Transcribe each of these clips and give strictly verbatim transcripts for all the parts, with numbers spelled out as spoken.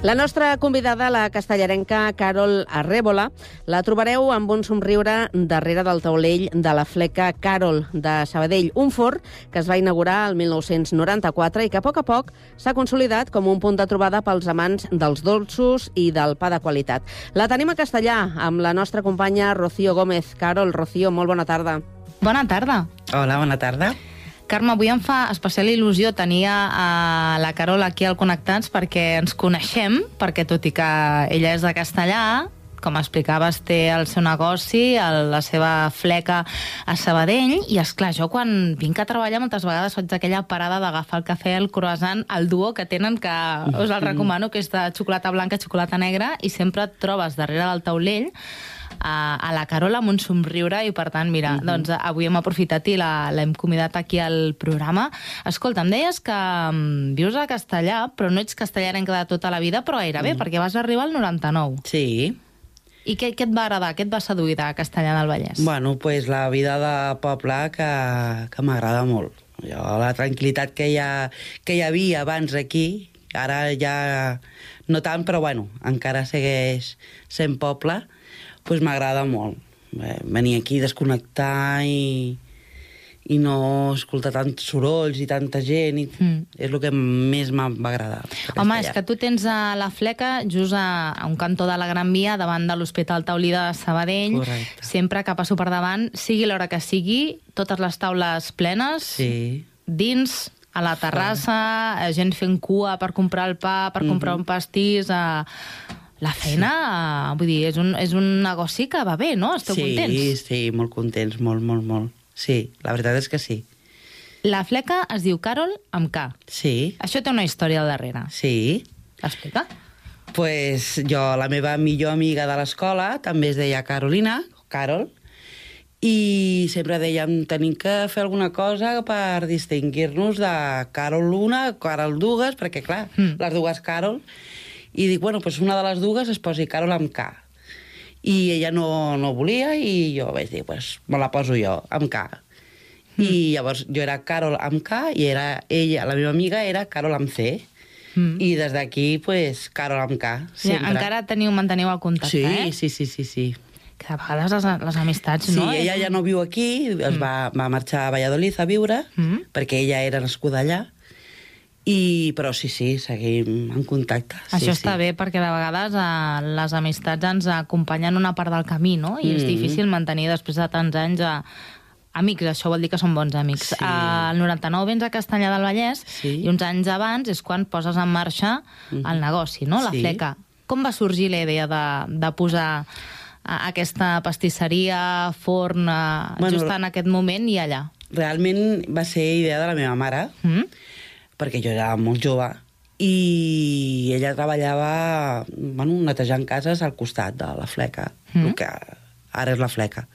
La nostra convidada, la castellarenca Carol Arrébola, la trobareu amb un somriure darrere del taulell de la fleca Carol de Sabadell, un forn que es va inaugurar el mil nou-cents noranta-quatre i que a poc a poc s'ha consolidat com un punt de trobada pels amants dels dolços i del pa de qualitat. La tenim a Castellà amb la nostra companya Rocío Gómez. Carol, Rocío, molt bona tarda. Bona tarda. Hola, bona tarda. Carme, avui em fa especial il·lusió tenir a la Carol aquí al Connectats perquè ens coneixem, perquè tot i que ella és de Castellà, com explicaves, té el seu negoci, el, la seva fleca a Sabadell, i esclar, jo quan vinc a treballar moltes vegades faig aquella parada d'agafar el cafè, el croissant, el duo que tenen, que us el recomano, que és de xocolata blanca, xocolata negra, i sempre et trobes darrere del taulell a, a la Carol amb un somriure, i per tant, mira, uh -huh. doncs avui hem aprofitat i l'hem convidat aquí al programa. Escolta, em deies que um, vius a Castellà, però no ets castellarenca de tota la vida, però gairebé, uh -huh. perquè vas arribar al noranta-nou. Sí. I què, què et va agradar? Què et va seduir de Castellà del Vallès? Bueno, pues la vida de poble que, que m'agrada molt. Jo, la tranquil·litat que hi, ha, que hi havia abans aquí, ara ja no tant, però bueno, encara segueix sent poble, pues m'agrada molt. Bé, venir aquí, desconnectar i, i no escoltar tants sorolls i tanta gent, i mm. és el que més m'ha agradat. Home, és que tu tens a la fleca just a, a un cantó de la Gran Via, davant de l'Hospital Taulí de Sabadell. Correcte. Sempre que passo per davant, sigui l'hora que sigui, totes les taules plenes, sí. dins, a la terrassa, sí. gent fent cua per comprar el pa, per comprar mm-hmm. un pastís... A... La feina, sí. vull dir, és un, és un negoci que va bé, no? Esteu sí, contents? Sí, sí, molt contents, molt, molt, molt. Sí, la veritat és que sí. La fleca es diu Carol amb K. Sí. Això té una història al darrere. Sí. Explica. Pues jo, la meva millor amiga de l'escola, també es deia Carolina, Carol, i sempre dèiem, tenim que fer alguna cosa per distingir-nos de Carol una, Carol dues, perquè clar, mm. les dues Carol... I dic, bueno, doncs una de les dues es posi Carol amb K. I ella no, no volia, i jo vaig dir, doncs me la poso jo, amb K. Mm. I llavors jo era Carol amb K, i era ella, la meva amiga, era Carol amb C. Mm. I des d'aquí, doncs, Carol amb K. Ja, encara teniu, manteniu el contacte, sí, eh? Sí, sí, sí, sí. Que a vegades les, les amistats, sí, no? Sí, ella ja no viu aquí, es mm. va, va marxar a Valladolid a viure, mm. perquè ella era nascuda allà. I, però sí, sí, seguim en contacte. Això sí, està sí. bé, perquè de vegades eh, les amistats ens acompanyen una part del camí, no? I mm. és difícil mantenir després de tants anys a... amics, això vol dir que són bons amics. Sí. Al noranta-nou vens a Castellà del Vallès, sí. i uns anys abans és quan poses en marxa mm. el negoci, no? La sí. fleca. Com va sorgir la idea de, de posar aquesta pastisseria, forn, bueno, just en aquest moment i allà? Realment va ser idea de la meva mare, mm. perquè jo era molt jove, i ella treballava, bueno, netejant cases al costat de la fleca, mm. el que ara és la fleca.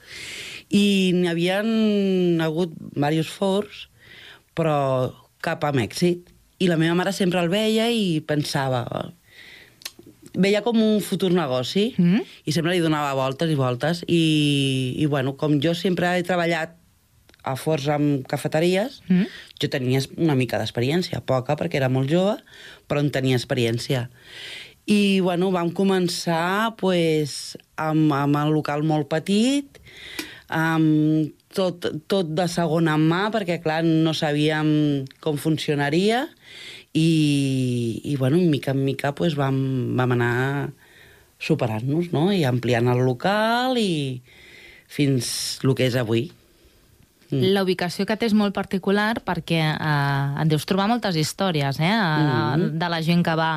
I n'hi havien hagut diversos forns, però cap amb èxit. I la meva mare sempre el veia i pensava... Veia com un futur negoci, mm. i sempre li donava voltes i voltes. I, i bueno, com jo sempre he treballat a forns amb cafeteries, mm. jo tenia una mica d'experiència, poca, perquè era molt jove, però en tenia experiència. I, bueno, vam començar pues, amb, amb el local molt petit, amb tot, tot de segona mà, perquè, clar, no sabíem com funcionaria, i, i bueno, mica en mica pues, vam, vam anar superant-nos, no?, i ampliant el local, i fins el que és avui. La ubicació que té és molt particular perquè eh, et deus trobar moltes històries, eh? Mm. De la gent que va,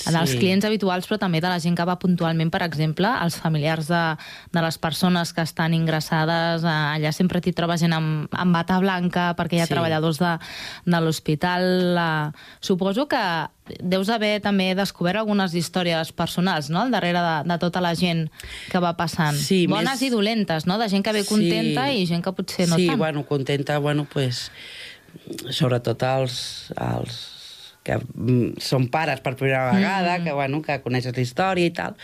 sí. dels clients habituals, però també de la gent que va puntualment, per exemple, els familiars de, de les persones que estan ingressades, eh, allà sempre t'hi trobes gent amb, amb bata blanca perquè hi ha sí. treballadors de, de l'hospital. Eh, suposo que deus haver també descobert algunes històries personals, no?, al darrere de, de tota la gent que va passant. Sí, bones més... i dolentes, no?, de gent que ve contenta sí. i gent que potser no sí, tant. Sí, bueno, contenta, bueno, pues, sobretot els, els que són pares per primera vegada, mm. que, bueno, que coneixes la història i tal,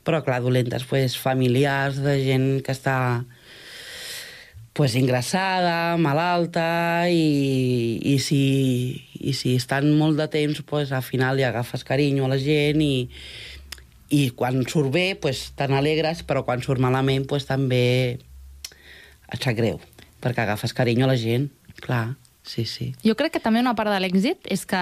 però, clar, dolentes, pues, familiars de gent que està pues, ingressada, malalta, i, i, si, i si estan molt de temps, pues, al final li agafes carinyo a la gent i, i quan surt bé, pues, t'alegres, però quan surt malament, pues, també et sap greu, perquè agafes carinyo a la gent, clar. Sí, sí. Jo crec que també una part de l'èxit és que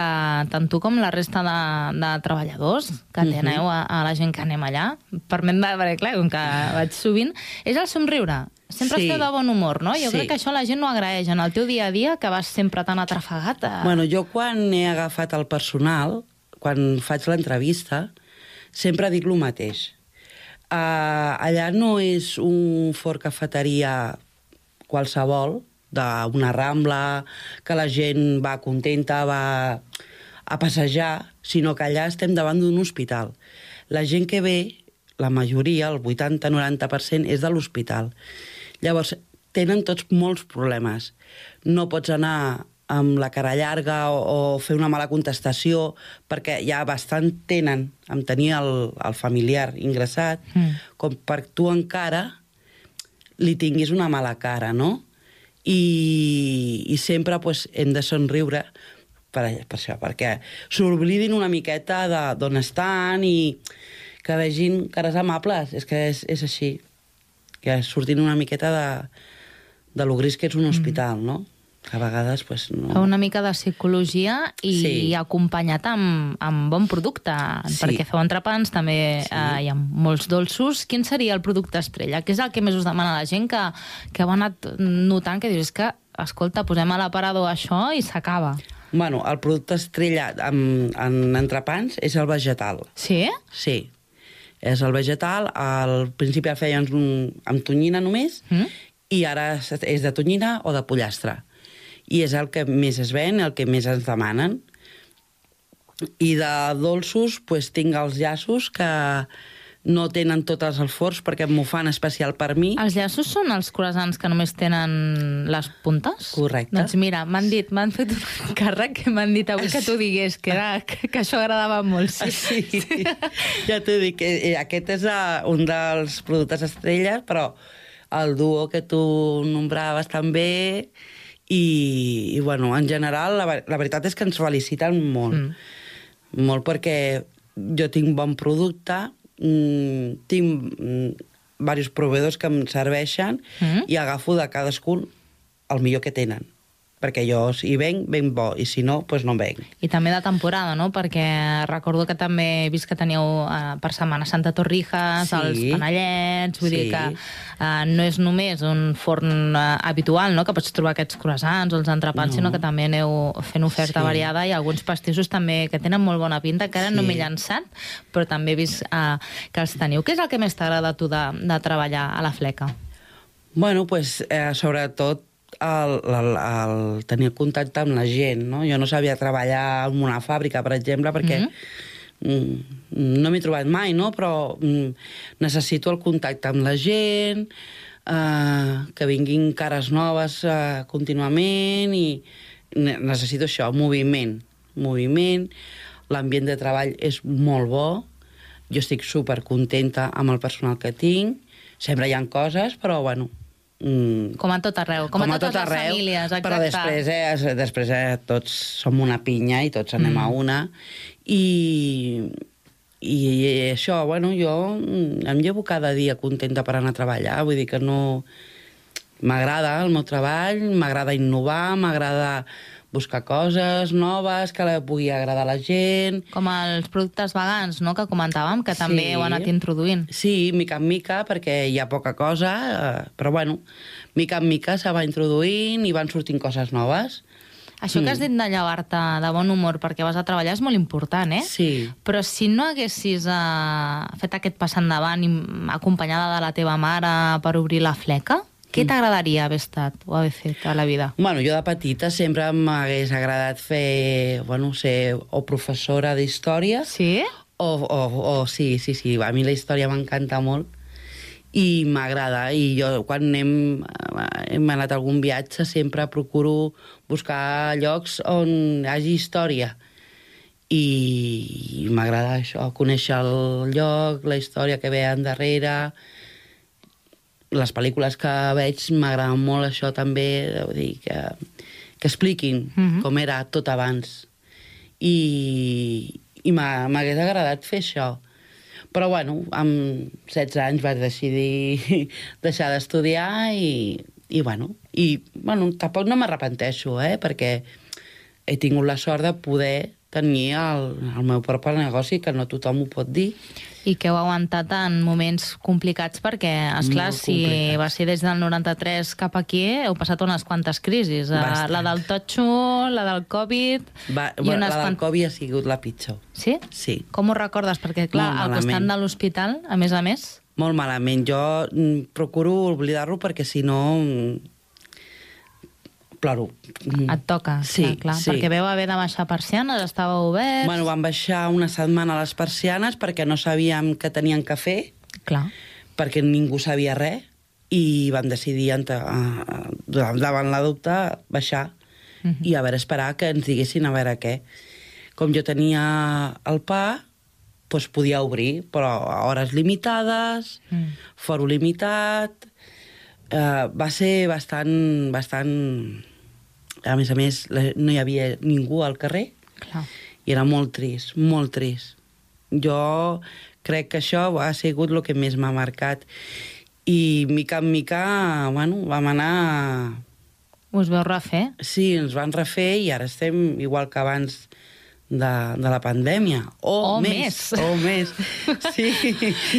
tant tu com la resta de, de treballadors que teneu a, a la gent que anem allà, permet, perquè clar, com que vaig sovint, és el somriure. Sempre Sí. esteu de bon humor, no? Jo Sí. crec que això la gent no agraeix en el teu dia a dia, que vas sempre tan atrafegat. A... Bueno, jo quan he agafat el personal, quan faig l'entrevista, sempre dic el mateix. Uh, allà no és un forn cafeteria qualsevol, d'una rambla, que la gent va contenta, va a passejar, sinó que allà estem davant d'un hospital. La gent que ve, la majoria, el vuitanta noranta per cent, és de l'hospital. Llavors, tenen tots molts problemes. No pots anar amb la cara llarga o, o fer una mala contestació, perquè ja bastant tenen amb tenir el, el familiar ingressat, mm. com per tu encara li tinguis una mala cara, no? I, i sempre pues, hem de somriure per, per això, perquè s'oblidin una miqueta d'on estan i que vegin cares amables. És que és, és així, que surtin una miqueta de, de lo gris que és un hospital, no? Que a vegades, pues, no... Una mica de psicologia i Sí. acompanyat amb, amb bon producte, Sí. perquè feu entrepans, també Sí. eh, hi ha molts dolços. Quin seria el producte estrella? Què és el que més us demana la gent que, que heu anat notant que dius, és que, escolta, posem a l'aparador això i s'acaba? Bueno, el producte estrella en, en entrepans és el vegetal. Sí? Sí. És el vegetal. Al principi el feien amb tonyina només, Mm? i ara és de tonyina o de pollastre. I és el que més es ven, el que més ens demanen. I de dolços, pues, tinc els llaços que no tenen tots els forns perquè m'ho fan especial per mi. Els llaços són els croissants que només tenen les puntes? Correcte. Doncs mira, m'han dit, m'han fet un càrrec que m'han dit avui que tu digués que, era, que, que això agradava molt. Sí, Sí, sí. Ja t'ho dic, eh, aquest és uh, un dels productes estrelles, però el duo que tu nombraves també, i, i bueno, en general, la, la veritat és que ens feliciten molt. Mm. Molt perquè jo tinc bon producte, mmm, tinc mmm, diversos proveïdors que em serveixen mm. i agafo de cadascun el millor que tenen. Perquè jo, si venc, venc bo, i si no, doncs no venc. I també de temporada, no? Perquè recordo que també he vist que teníeu eh, per Setmana Santa Torrijas, Sí. els panellets, vull Sí. dir que eh, no és només un forn eh, habitual, no?, que pots trobar aquests croissants o els entrepans, No. sinó que també aneu fent oferta Sí. variada, i alguns pastissos també que tenen molt bona pinta, que ara Sí. no m'he llançat, però també he vist eh, que els teniu. Què és el que més t'agrada a tu de, de treballar a la Fleca? Bueno, doncs, eh, sobretot, el, el, el tenir contacte amb la gent, no? Jo no sabia treballar en una fàbrica, per exemple, perquè mm-hmm. mm, no m'he trobat mai, no? Però mm, necessito el contacte amb la gent, eh, que vinguin cares noves eh, contínuament, i ne necessito això, moviment. Moviment, l'ambient de treball és molt bo, jo estic supercontenta amb el personal que tinc, sempre hi ha coses, però bueno... Mm, Com a tot arreu, com, com a totes tot les arreu, famílies, exacte. però després, eh, després eh, tots som una pinya i tots anem mm. a una, i, i, i això, bueno, jo em llevo cada dia contenta per anar a treballar, vull dir que no... M'agrada el meu treball, m'agrada innovar, m'agrada buscar coses noves que la pugui agradar a la gent. Com els productes vegans, no?, que comentàvem, que també Sí. heu anat introduint. Sí, mica en mica, perquè hi ha poca cosa, eh, però bueno, mica en mica se va introduint i van sortint coses noves. Això que has dit de llevar-te de bon humor perquè vas a treballar és molt important, eh? Sí. Però si no haguessis eh, fet aquest pas endavant i acompanyada de la teva mare per obrir la Fleca, què t'agradaria haver estat o haver fet a la vida? Bueno, jo de petita sempre m'hagués agradat fer, bueno, ser o professora d'història, Sí? o, o, o sí, sí, sí, a mi la història m'encanta molt i m'agrada, i jo quan anem, hem anat a algun viatge sempre procuro buscar llocs on hi hagi història, i, i m'agrada això, conèixer el lloc, la història que ve endarrere. les pel·lícules que veig m'agraden molt això també, vull dir, que, que expliquin uh-huh. com era tot abans. I, i m'hagués agradat fer això. Però, bueno, amb setze anys vaig decidir deixar d'estudiar i, i, bueno, i, bueno, tampoc no m'arrepenteixo, eh, perquè he tingut la sort de poder tenir el, el meu propi negoci, que no tothom ho pot dir. I que heu aguantat en moments complicats perquè, esclar, si va ser des del noranta-tres cap aquí, heu passat unes quantes crisis. Bastant. La del totxo, la del Covid... Va, i unes la del quant... Covid ha sigut la pitjor. Sí? Sí. Com ho recordes? Perquè, clar, al costat de l'hospital, a més a més... Molt malament. Jo mm, procuro oblidar-lo perquè, si no... Mm, ploro. Et toca, sí, clar, clar. Sí. Perquè veu haver de baixar persianes, estava obert... Bueno, vam baixar una setmana les persianes perquè no sabíem què tenien que fer, clar. Perquè ningú sabia res, i vam decidir, davant la dubte, baixar uh -huh. i a veure, esperar que ens diguessin a veure què. Com jo tenia el pa, doncs podia obrir, però a hores limitades, mm. foro limitat... Uh, va ser bastant, bastant... A més a més, no hi havia ningú al carrer. Clar. I era molt trist, molt trist. Jo crec que això ha sigut el que més m'ha marcat. I, mica en mica, bueno, vam anar... Us veu refer? Sí, ens van refer i ara estem igual que abans de, de la pandèmia. O, o més. més. O més, sí.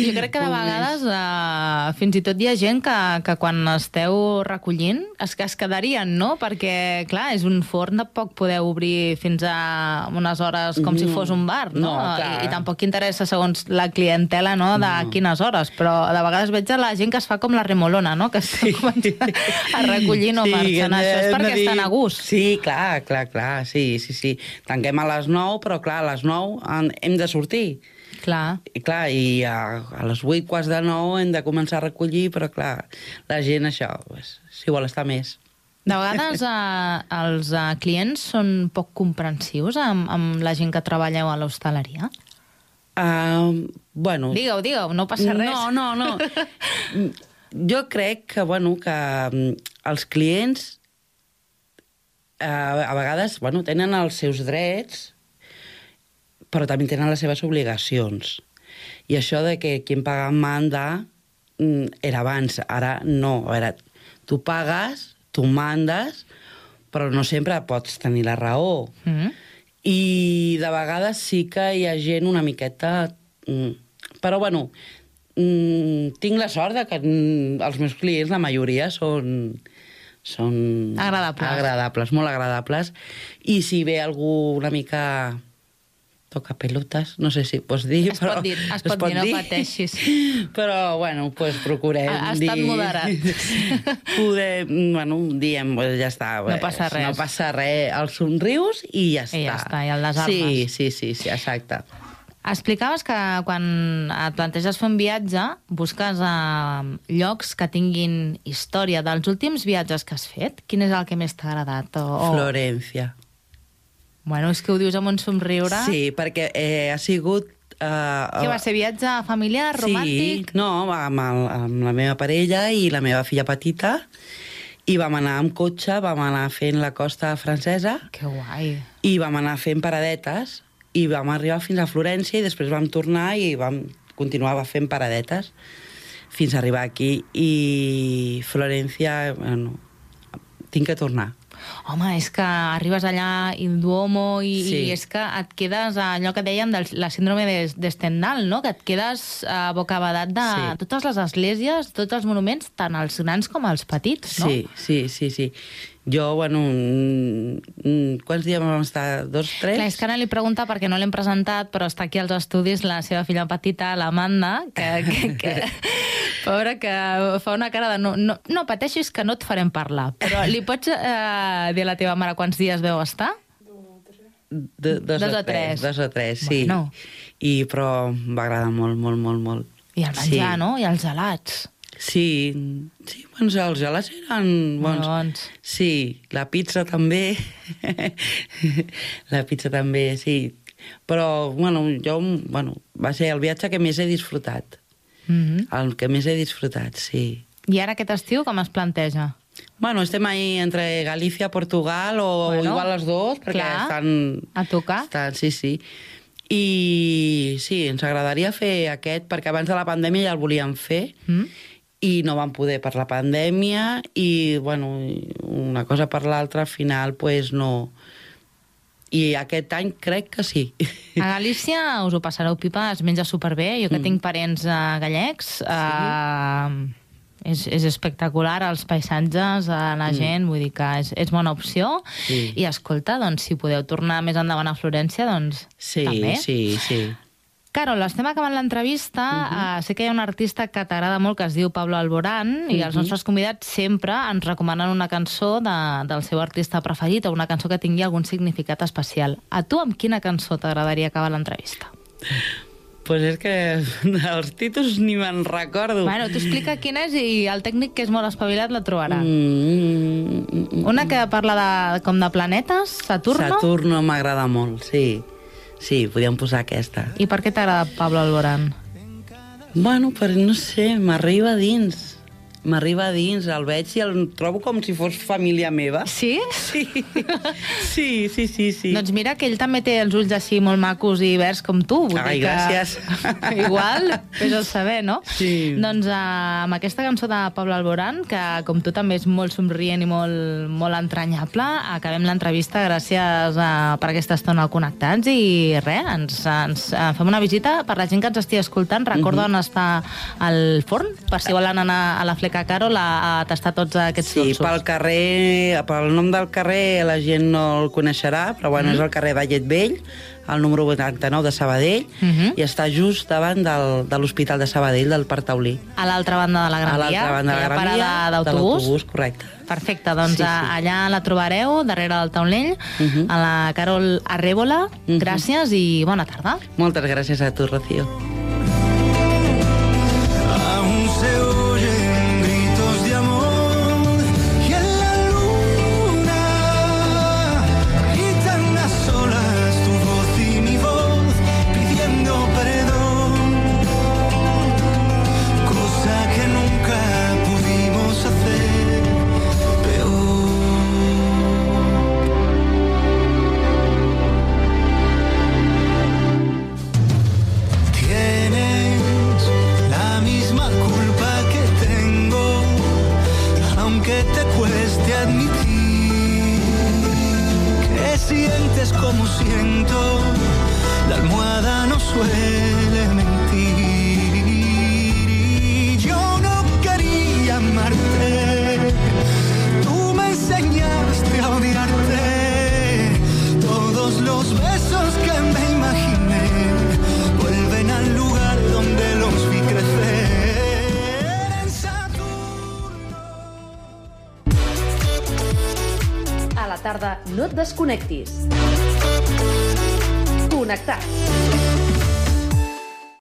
Jo crec que de vegades uh, fins i tot hi ha gent que, que quan esteu recollint es, que es quedarien, no? Perquè, clar, és un forn de poc poder obrir fins a unes hores com mm. si fos un bar, no? no I, I tampoc interessa segons la clientela, no?, de no. quines hores, però de vegades veig a la gent que es fa com la remolona, no?, que està sí. començant a recollir no sí, marxant. Això és perquè dir... estan a gust. Sí, clar, clar, clar, sí, sí, sí. Tanquem a les nou, però clar, a les nou hem de sortir. Clar. I clar, i a, a les vuit, quarts de nou hem de començar a recollir, però clar, la gent això, pues, si vol estar més. De vegades eh, els eh, clients són poc comprensius amb, amb la gent que treballeu a l'hostaleria? Uh, bueno... Digue-ho, digue-ho, no passa res. No, no, no. Jo crec que, bueno, que els clients uh, a vegades, bueno, tenen els seus drets, però també tenen les seves obligacions. I això de que qui paga manda era abans, ara no. A veure, tu pagues, tu mandes, però no sempre pots tenir la raó. Mm. I de vegades sí que hi ha gent una miqueta... Però, bueno, tinc la sort de que els meus clients, la majoria, són... són agradables. agradables, molt agradables. I si ve algú una mica... toca pelotes, no sé si pots dir, es però... Pot dir, es, es pot, pot dir, no pateixis. Però, bueno, pues procurem ha, ha dir... estat moderat. Poder, bueno, diem, pues ja està. No passa res. No passa res, els somrius i ja està. I ja està, i el desarmes. Sí, sí, sí, sí, exacte. Explicaves que quan et planteges fer un viatge busques uh, llocs que tinguin història. Dels últims viatges que has fet, quin és el que més t'ha agradat? O, o... Florència. Bueno, és que ho dius amb un somriure. Sí, perquè eh, ha sigut... Uh, Què va ser, viatge familiar, romàntic? Sí, no, amb, el, amb la meva parella i la meva filla petita, i vam anar amb cotxe, vam anar fent la costa francesa. Que guai. I vam anar fent paradetes, i vam arribar fins a Florència, i després vam tornar i vam continuar fent paradetes fins a arribar aquí. I Florència, bueno, tinc que tornar. Home, és que arribes allà in Duomo i, sí. i és que et quedes a allò que dèiem de la síndrome de, de Stendhal, no? Que et quedes a bocabadat de sí. totes les esglésies, tots els monuments, tant els grans com els petits, no? Sí, sí, sí, sí. Jo, bueno, quants dies vam estar? Dos, tres? Clar, és que ara li pregunta perquè no l'hem presentat, però està aquí als estudis la seva filla petita, l'Amanda, que, que, que pobra, que fa una cara de no, no, no pateixis que no et farem parlar. Però li pots eh, dir a la teva mare quants dies veu estar? De, dos, dos o tres. Dos o tres, sí. Bueno. I, però va agradar molt, molt, molt, molt. I el menjar, sí. no? I els gelats. Sí, sí, doncs els gelats eren bons. bons. Sí, la pizza també. La pizza també, sí. Però, bueno, jo, bueno, va ser el viatge que més he disfrutat. Mm-hmm. El que més he disfrutat, sí. I ara aquest estiu com es planteja? Bueno, estem ahí entre Galícia, Portugal o Bueno, igual els dos, perquè clar, estan... a tocar. Estan, sí, sí. I sí, ens agradaria fer aquest, perquè abans de la pandèmia ja el volíem fer, mm. i no vam poder per la pandèmia, i, bueno, una cosa per l'altra, al final, pues, no... I aquest any crec que sí. A Galícia us ho passareu pipa, es menja superbé. Jo que mm. tinc parents uh, gallecs... Uh, sí. És, és espectacular, els paisatges, la gent, mm. vull dir que és, és bona opció. Sí. I escolta, doncs, si podeu tornar més endavant a Florència, doncs sí, també. Sí, sí, sí. Carol, estem acabant l'entrevista. Uh-huh. uh, sé que hi ha un artista que t'agrada molt que es diu Pablo Alborán, uh-huh. i els nostres convidats sempre ens recomanen una cançó de, del seu artista preferit o una cançó que tingui algun significat especial. A tu amb quina cançó t'agradaria acabar l'entrevista? Pues és que els títols ni me'n recordo. Bueno, t'ho explica quin és i el tècnic, que és molt espavilat, la trobarà. Mm, mm, mm, Una que parla de, com de planetes, Saturno. Saturno m'agrada molt, sí. Sí, podríem posar aquesta. I per què t'agrada Pablo Alborán? Bueno, per no sé, m'arriba dins. M'arriba dins, el veig i el trobo com si fos família meva. Sí? Sí, sí, sí, sí, sí. Doncs mira que ell també té els ulls així molt macos i verds com tu. Vull Ai, dir que... gràcies. Igual, és el saber, no? Sí. Doncs uh, amb aquesta cançó de Pablo Alborán, que com tu també és molt somrient i molt, molt entranyable, acabem l'entrevista. Gràcies uh, per aquesta estona al Connectats i res, ens, ens uh, fem una visita per la gent que ens estigui escoltant. Recorda mm-hmm. on està el forn, per si volen anar a la Fleca Carol a, a tastar tots aquests sí, dolços. Sí, pel carrer, pel nom del carrer la gent no el coneixerà, però bueno, mm. és el carrer Vallet Vell, el número vuitanta-nou de Sabadell, mm-hmm. i està just davant del, de l'Hospital de Sabadell, del Parc Taulí. A l'altra banda de la Gran Via? A l'altra banda de la Gran Via, de l'autobús, correcte. Perfecte, doncs sí, sí. allà la trobareu, darrere del taulell, mm-hmm. a la Carol Arrébola. Mm-hmm. Gràcies i bona tarda. Moltes gràcies a tu, Rocío. Sientes como siento, la almohada no suele mentir. Y yo no quería amarte, tú me enseñaste a odiarte. Todos los besos que me imaginé vuelven al lugar donde los vi crecer. En Saturno. A la tarda no et desconnectis. Connectats.